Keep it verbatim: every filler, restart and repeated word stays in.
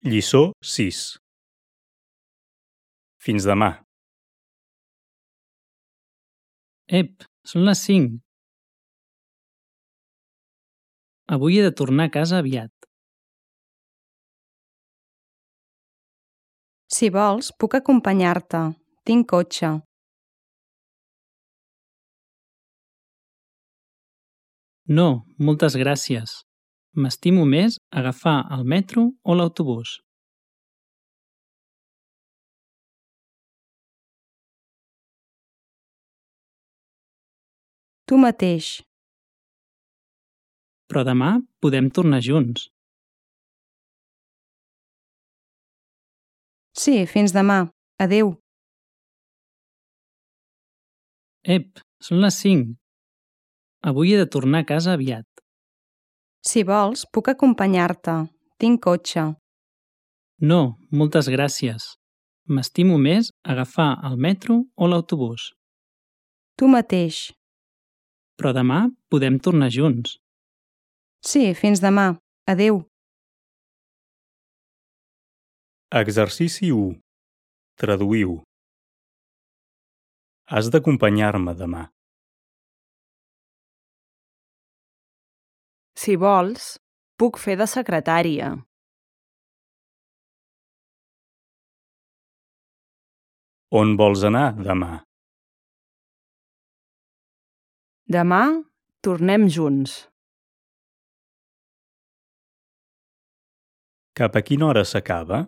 Lliçó sis. Fins demà. Ep, són les cinc. Avui he de tornar a casa aviat. Si vols, puc acompanyar-te. Tinc cotxe. No, moltes gràcies. M'estimo més agafar el metro o l'autobús. Tu mateix. Però demà podem tornar junts. Sí, fins demà. Adéu. Ep, són les cinc. Avui he de tornar a casa aviat. Si vols, puc acompanyar-te. Tinc cotxe. No, moltes gràcies. M'estimo més agafar el metro o l'autobús. Tu mateix. Però demà podem tornar junts. Sí, fins demà. Adéu. Exercici u. Traduïu. Has d'acompanyar-me demà. Si vols, puc fer de secretària. On vols anar demà? Demà tornem junts. Cap a quina hora s'acaba?